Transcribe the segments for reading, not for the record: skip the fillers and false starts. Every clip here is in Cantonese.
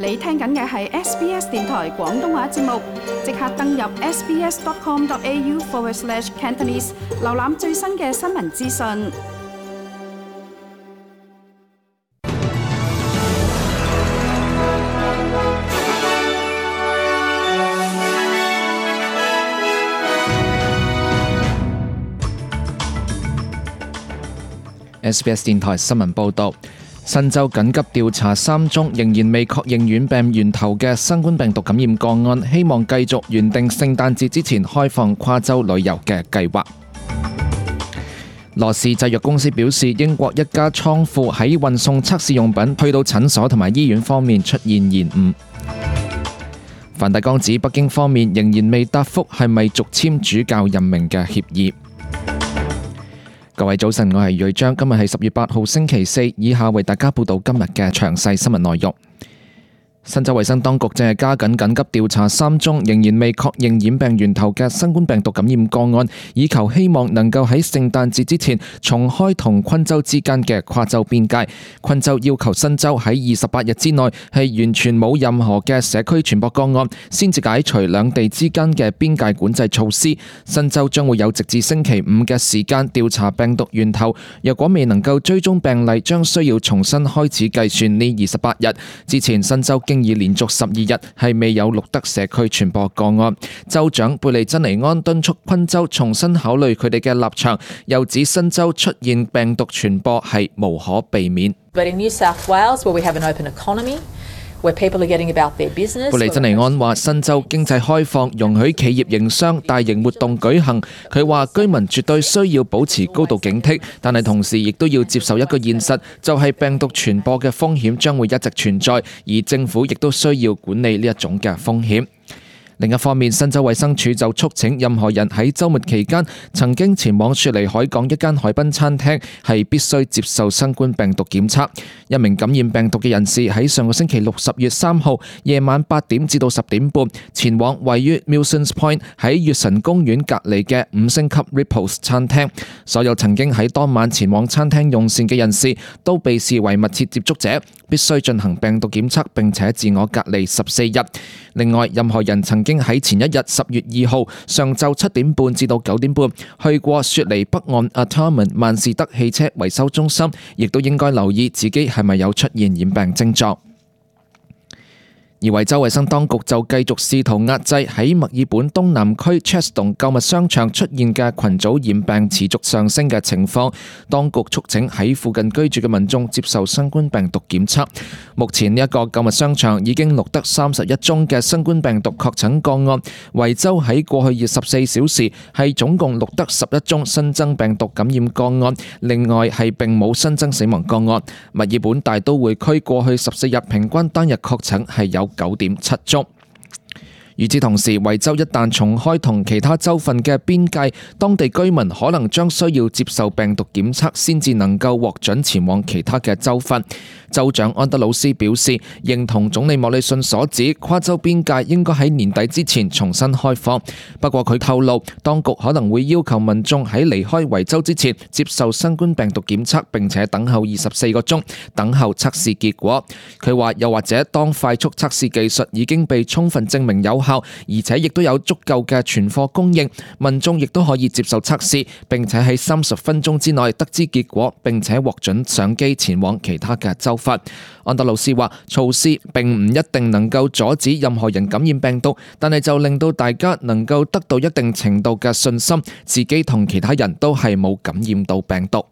你聽緊嘅係 SBS 電台廣東話節目，即刻登入 sbs.com.au/Cantonese 瀏覽最新嘅新聞資訊。SBS 電台新聞報導，新州緊急調查3宗仍然未確認軟病源頭嘅新冠病毒感染個案，希望繼續原定聖誕節之前開放跨州旅遊嘅計劃。羅氏製藥公司表示，英國一家倉庫喺運送測試用品去到診所同埋醫院方面出現延誤。梵蒂岡指北京方面仍然未答覆係咪續簽主教任命嘅協議。各位早晨，我係瑞章，今日係10月8號星期四，以下為大家報道今日嘅詳細新聞內容。新州衛生當局正係加緊緊急調查3宗仍然未確認染病源頭嘅新冠病毒感染個案，以求希望能夠喺聖誕節之前重開同昆州之間嘅跨州邊界。昆州要求新州喺28日之內係完全冇任何嘅社區傳播個案，先至解除兩地之間嘅邊界管制措施。新州將會有直至星期5嘅時間調查病毒源頭，若果未能夠追蹤病例，將需要重新開始計算呢28日。之前新州經已連續12日係未有錄得社區傳播個案。州長貝利珍尼安敦促昆州重新考慮佢哋嘅立場，又指新州出現病毒傳播係無可避免。But in New South Wales, where we have an open economy, where people are getting about their business. 貝利珍尼安話：新州經濟開放，容許企業營商、大型活動舉行。佢話居民絕對需要保持高度警惕，但係同時亦都要接受一個現實，就係病毒傳播嘅風險將會一直存在，而政府亦都需要管理呢一種嘅風險。另一方面，新州衛生署就促請任何人喺週末期間曾經前往雪梨海港一間海濱餐廳係必須接受新冠病毒檢測。一名感染病毒嘅人士喺上個星期六10月3號夜晚8點至到10點半前往位於 Milsons Point 喺月神公園隔離嘅5星級 Ripples 餐廳。所有曾經喺當晚前往餐廳用膳嘅人士都被視為密切接觸者，必須進行病毒檢測並且自我隔離14日。另外，任何人曾經喺前一日10月2號上晝7點半至到9點半去過雪梨北岸 Artarmon 萬事德汽車維修中心，亦都應該留意自己係咪有出現染病症狀。而維州衛生當局就繼續試圖壓制喺墨爾本東南區 Cheston 購物商場出現嘅群組染病持續上升嘅情況。當局促請喺附近居住嘅民眾接受新冠病毒檢測。目前呢一個購物商場已經錄得31宗嘅新冠病毒確診個案。維州喺過去24小時係總共錄得11宗新增病毒感染個案，另外係並冇新增死亡個案。墨爾本大都會區過去14日平均單日確診係有9.7宗。與此同時，維州一旦重開同其他州份嘅邊界，當地居民可能將需要接受病毒檢測先至能夠獲准前往其他嘅州份。州長安德魯斯表示，認同總理莫里遜所指，跨州邊界應該喺年底之前重新開放。不過佢透露，當局可能會要求民眾喺離開維州之前接受新冠病毒檢測，並且等候24個鐘，等候測試結果。佢話又或者當快速測試技術已經被充分證明有效，而且亦都有足夠嘅存貨供應，民眾亦都可以接受測試，並且喺30分鐘之內得知結果，並且獲准上機前往其他嘅州份。安德魯斯話，措施並唔一定能夠阻止任何人感染病毒，但係就令到大家能夠得到一定程度嘅信心，自己同其他人都係冇感染到病毒。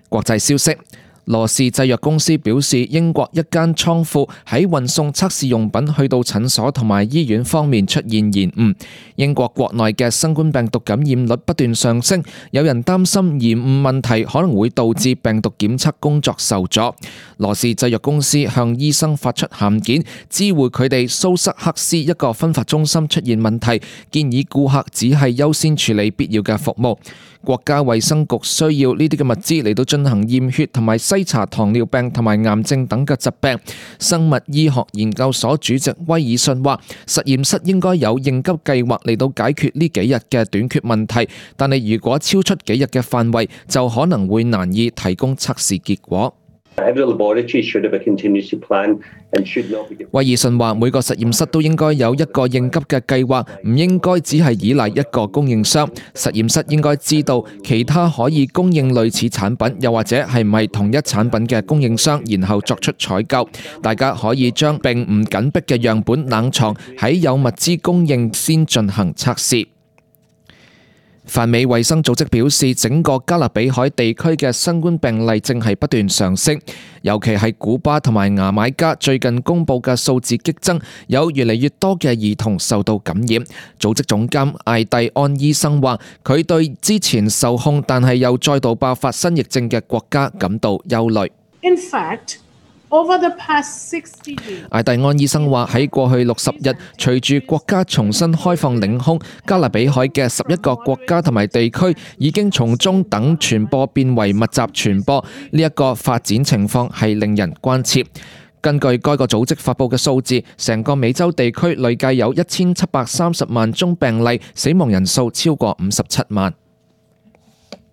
國際消息。羅氏製藥公司表示，英國一間倉庫喺運送測試用品去到診所同埋醫院方面出現延誤。英國國內嘅新冠病毒感染率不斷上升，有人擔心延誤問題可能會導致病毒檢測工作受阻。羅氏製藥公司向醫生發出函件，知會佢哋蘇塞克斯一個分發中心出現問題，建議顧客只係優先處理必要嘅服務。國家衛生局需要呢啲嘅物資嚟到進行驗血同埋篩查糖尿病同埋癌症等嘅疾病。生物醫學研究所主席威爾遜話，實驗室應該有應急計劃嚟到解決呢幾日嘅短缺問題，但係如果超出幾日嘅範圍，就可能會難以提供測試結果。威爾遜話：每個實驗室都應該有一個應急嘅計劃，唔應該只係依賴一個供應商。實驗室應該知道其他可以供應類似產品，又或者係唔係同一產品嘅供應商，然後作出採購。大家可以將並唔緊迫嘅樣本冷藏喺有物資供應先進行測試。泛美衛生組織表示，整個加勒比海地區嘅新冠病例正係不斷上升，尤其係古巴同埋牙買加最近公布嘅數字激增，有越嚟越多嘅兒童受到感染。組織總監艾蒂安醫生話，佢對之前受控但係又再度爆發新疫症嘅國家感到憂慮。In fact, over the past 60 days， 艾蒂安醫生話，喺過去60日，隨住國家重新開放領空，加勒比海嘅11個國家同埋地區已經從中等傳播變為密集傳播，呢一個發展情況係令人關切。根據該個組織發布嘅數字，成個美洲地區累計有1730萬宗病例，死亡人數超過57萬。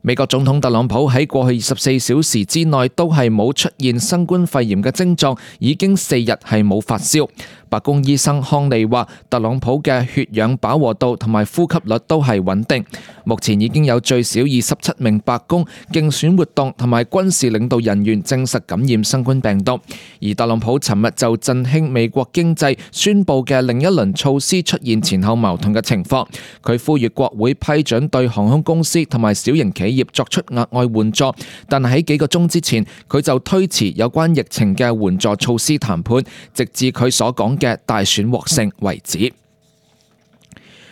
美國總統特朗普喺過去24小時之內都係冇出現新冠肺炎嘅症狀，已經4日係冇發燒。白宮醫生康利話，特朗普嘅血氧飽和度同埋呼吸率都係穩定。目前已經有最少27名白宮競選活動同埋軍事領導人員證實感染新冠病毒。而特朗普尋日就振興美國經濟宣布嘅另一輪措施出現前後矛盾嘅情況。佢呼籲國會批准對航空公司同埋小型企業作出額外援助，但係喺幾個鐘之前，佢就推遲有關疫情嘅援助措施談判，直至佢所講嘅大選獲勝為止。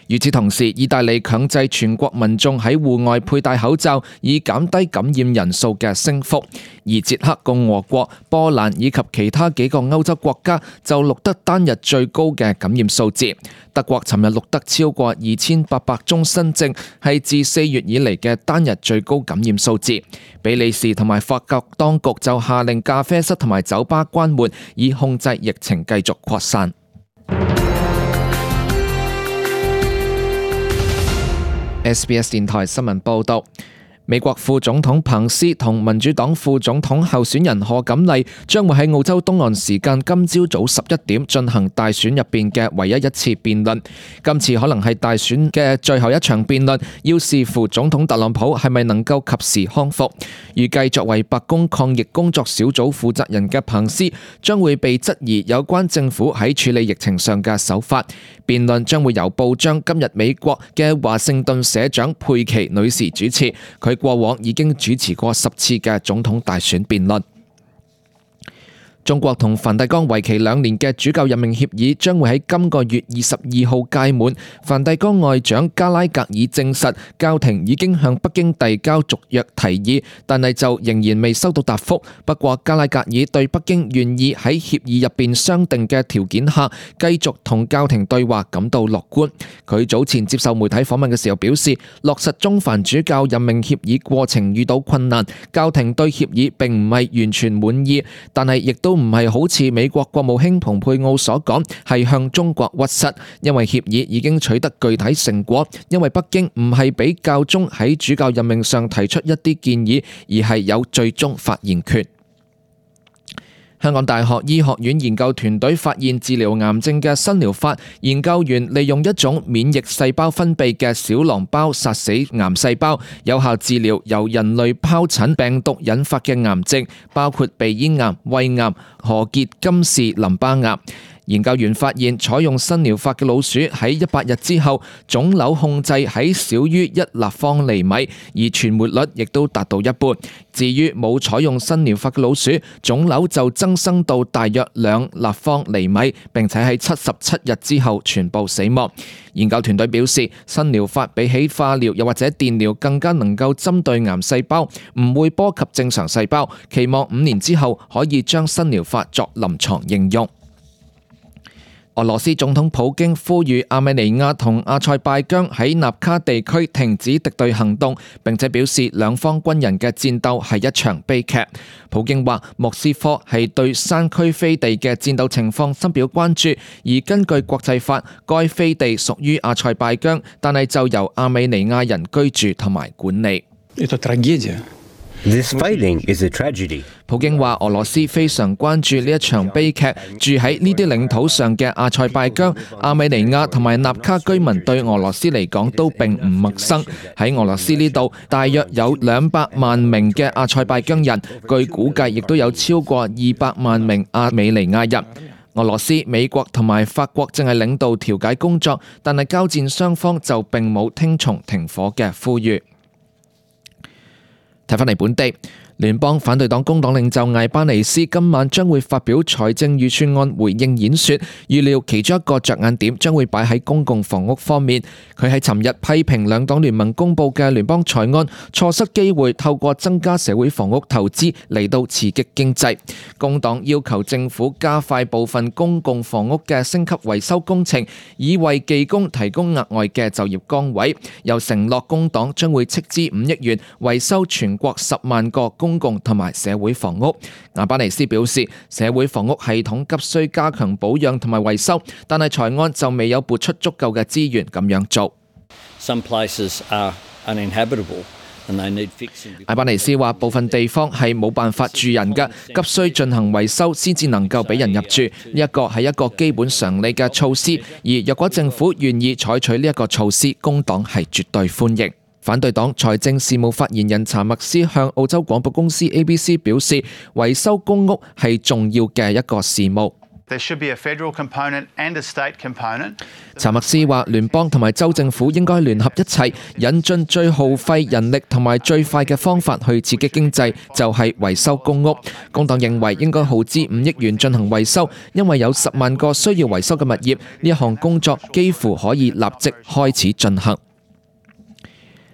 與此同時，意大利強制全國民眾喺戶外佩戴口罩，以減低感染人數嘅升幅。而捷克共和國、波蘭以及其他幾個歐洲國家就錄得單日最高嘅感染數字。德國尋日錄得超過2800宗新症，係自4月以嚟嘅單日最高感染數字。比利時同埋法國當局就下令咖啡室同埋酒吧關門，以控制疫情繼續擴散。SBS 電台新聞報道，美國副總統彭斯同民主黨副總統候選人賀錦麗將會喺澳洲東岸時間今朝早11點進行大選入邊嘅唯一一次辯論。今次可能係大選嘅最後一場辯論，要視乎總統特朗普係咪能夠及時康復。預計作為白宮抗疫工作小組負責人嘅彭斯將會被質疑有關政府喺處理疫情上嘅手法。辯論將會由報章今日美國嘅華盛頓社長佩奇女士主持，佢過往已經主持過10次嘅總統大選辯論。中國同梵蒂岡為期2年嘅主教任命協議將會喺今個月22號屆滿。梵蒂岡外長加拉格爾證實，教廷已經向北京遞交續約提議，但係就仍然未收到答覆。不過加拉格爾對北京願意喺協議入邊商定嘅條件下繼續同教廷對話感到樂觀。佢早前接受媒體訪問嘅時候表示，落實中梵主教任命協議過程遇到困難，教廷對協議並唔係完全滿意，但係亦都唔係好似美國國務卿蓬佩奧所講係向中國屈膝，因為協議已經取得具體成果，因為北京唔係俾教宗喺主教任命上提出一啲建議，而係有最終發言權。香港大學醫學院研究團隊發現治療癌症嘅新療法，研究員利用一種免疫細胞分泌嘅小囊包殺死癌細胞，有效治療由人類疱疹病毒引發嘅癌症，包括鼻咽癌、胃癌、何傑金氏淋巴癌。研究員發現，採用新療法嘅老鼠喺100日之後，腫瘤控制喺少於1立方厘米，而存活率亦都達到一半。至於冇採用新療法嘅老鼠，腫瘤就增生到大約2立方厘米，並且喺77日之後全部死亡。研究團隊表示，新療法比起化療又或者電療更加能夠針對癌細胞，唔會波及正常細胞。期望5年之後可以將新療法作臨床應用。俄羅斯總統普京呼籲亞美尼亞同阿塞拜疆喺納卡地區停止敵對行動，並且表示兩方軍人嘅戰鬥係一場悲劇。普京話莫斯科係對山區飛地嘅戰鬥情況深表關注，而根據國際法，該飛地屬於阿塞拜疆，但係就由亞美尼亞人居住同埋管理。This fighting is a tragedy. 普京話俄羅斯非常關注呢一場悲劇，住喺呢啲領土上嘅阿塞拜疆、亞美尼亞同埋納卡居民對俄羅斯嚟講都並唔陌生。喺俄羅斯呢度，大約有200萬名嘅阿塞拜疆人，據估計亦都有超過200萬名亞美尼亞人。俄羅斯、美國同埋法國正係領導調解工作，但係交戰雙方就並冇聽從停火嘅呼籲。睇返嚟本地，聯邦反對黨工黨領袖艾巴尼斯今晚將會發表財政預算案回應演說，預料其中一個着眼點將會擺喺公共房屋方面。佢喺尋日批評兩黨聯盟公佈嘅聯邦財案錯失機會，透過增加社會房屋投資嚟到刺激經濟。工黨要求政府加快部分公共房屋嘅升級維修工程，以為技工提供額外嘅就業崗位，又承諾工黨將會斥資5億元維修全國10萬個公共同埋社會房屋。亞巴尼斯表示，社會房屋系統急需加強保養同埋維修，但係財案就未有撥出足夠嘅資源咁樣做。Some places are uninhabitable. 艾巴尼斯話：部分地方係冇辦法住人嘅，急需進行維修先至能夠俾人入住。呢一個係一個基本常理嘅措施，而若果政府願意採取呢一個措施，工黨係絕對歡迎。反對黨財政事務發言人查默斯向澳洲廣播公司 ABC 表示，維修公屋係重要嘅一個事務。There should be a federal component and a state component. 查默斯話：聯邦同埋州政府應該聯合一齊，引進最耗費人力同埋最快嘅方法去刺激經濟，就係維修公屋。工黨認為應該耗資5億元進行維修，因為有10萬個需要維修嘅物業，呢一項工作幾乎可以立即開始進行。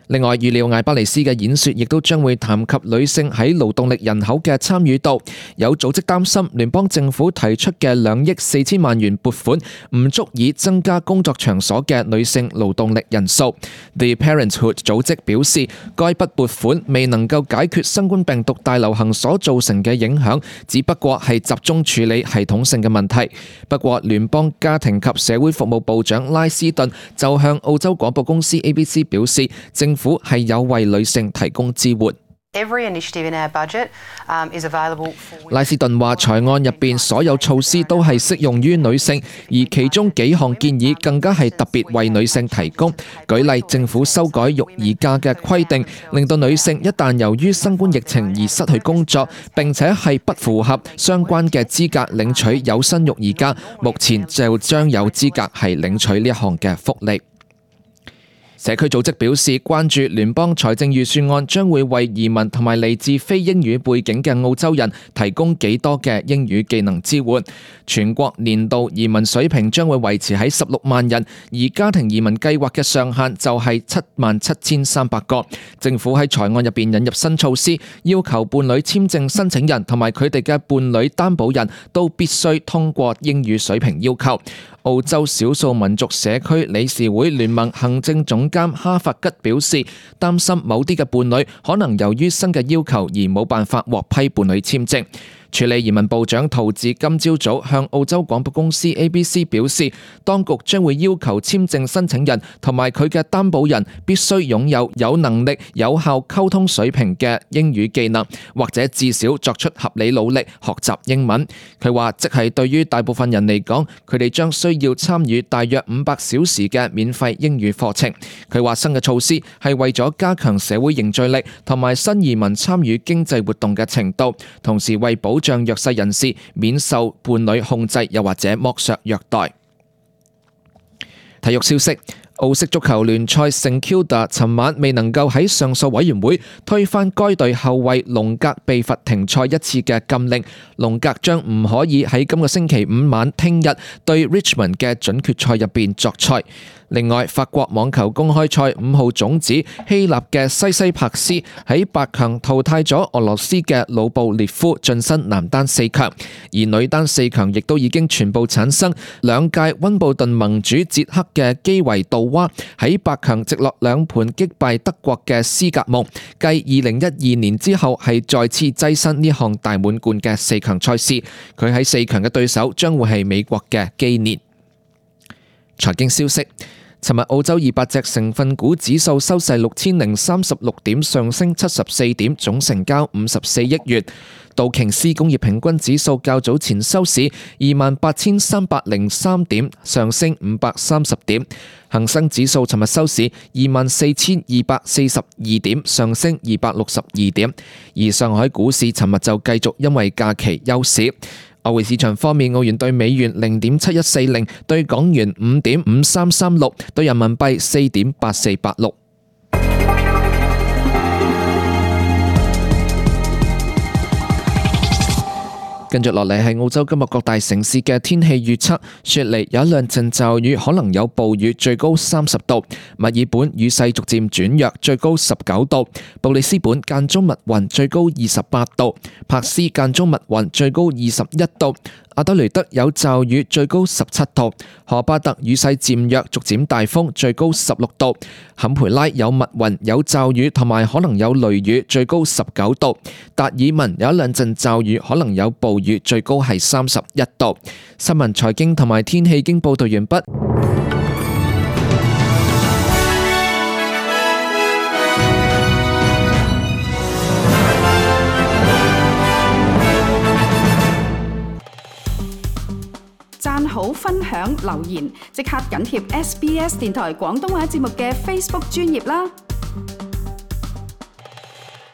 另外，預料艾巴尼斯嘅演說亦都將會談及女性喺勞動力人口嘅參與度。有組織擔心聯邦政府提出嘅2億4千萬元撥款唔足以增加工作場所嘅女性勞動力人數。The Parenthood 組織表示，該筆撥款未能夠解決新冠病毒大流行所造成嘅影響，只不過係集中處理系統性嘅問題。不過，聯邦家庭及社會服務部長拉斯頓就向澳洲廣播公司 ABC 表示，政府係有為女性提供支援。拉斯頓話：財案入邊所有措施都係適用於女性，而其中幾項建議更加係特別為女性提供。舉例，政府修改育兒假嘅規定，令到女性一旦由於新冠疫情而失去工作，並且係不符合相關嘅資格領取有薪育兒假，目前就將有資格係領取呢一項嘅福利。社區組織表示，關注聯邦財政預算案將會為移民同埋嚟自非英語背景嘅澳洲人提供幾多嘅英語技能支援。全國年度移民水平將會維持喺16萬人，而家庭移民計劃嘅上限就係77300個。政府喺財案入邊引入新措施，要求伴侶簽證申請人同埋佢哋嘅伴侶擔保人都必須通過英語水平要求。澳洲少數民族社區理事會聯盟行政總監哈法吉表示，擔心某啲嘅伴侶可能由於新嘅要求而冇辦法獲批伴侶簽證。處理移民部長陶治今朝早向澳洲廣播公司 ABC 表示，當局將會要求簽證申請人同埋佢嘅擔保人必須擁有能力、有效溝通水平嘅英語技能，或者至少作出合理努力學習英文。佢話，即係對於大部分人嚟講，佢哋將需要參與大約500小時嘅免費英語課程。佢話新嘅措施係為咗加強社會凝聚力同埋新移民參與經濟活動嘅程度，同時為保障弱勢人士免受伴侶控制又或者剝削虐待。體育消息，澳式足球聯賽聖 Kilda 尋晚未能夠喺上訴委員會推翻該隊後衛龍格被罰停賽1次嘅禁令，龍格將唔可以喺今個星期5晚聽日對 Richmond 嘅準決賽入邊作賽。另外，法國網球公開賽5號種子希臘嘅西西帕斯喺8強淘汰咗俄羅斯嘅魯布列夫，晉身男單4強，而女單4強亦都已經全部產生。2屆溫布頓盟主捷克嘅基維杜娃喺8強直落2盤擊敗德國嘅斯格蒙，繼2012年之後係再次躋身呢項大滿貫嘅4強賽事。佢喺4強嘅對手將會係美國嘅基列。財經消息，尋日澳洲200隻成分股指數收市6036點，上升74點，總成交54億元。道瓊斯工業平均指數較早前收市28,303點，上升530點。恒生指數尋日收市24,242點，上升262點。而上海股市尋日就繼續因為假期休市。外匯市場方面，澳元對美元0.7140，對港元5.5336，對人民幣4.8486。跟住落嚟係澳洲今日各大城市嘅天氣預測。雪梨有一兩陣驟雨，可能有暴雨，最高30度。墨爾本雨勢逐漸轉弱，最高19度。布里斯本間中密雲，最高28度。珀斯間中密雲，最高21度。阿德雷德有驟雨，最高17度。荷巴特雨勢漸弱，逐漸大風，最高16度。坎培拉有密雲，有驟雨同埋可能有雷雨，最高19度。達爾文有一兩陣驟雨，可能有暴雨，最高係31度。新聞財經同埋天氣經報道完畢。讚好、分享、留言，即刻緊貼SBS 電台廣東話節目嘅 Facebook 專頁啦！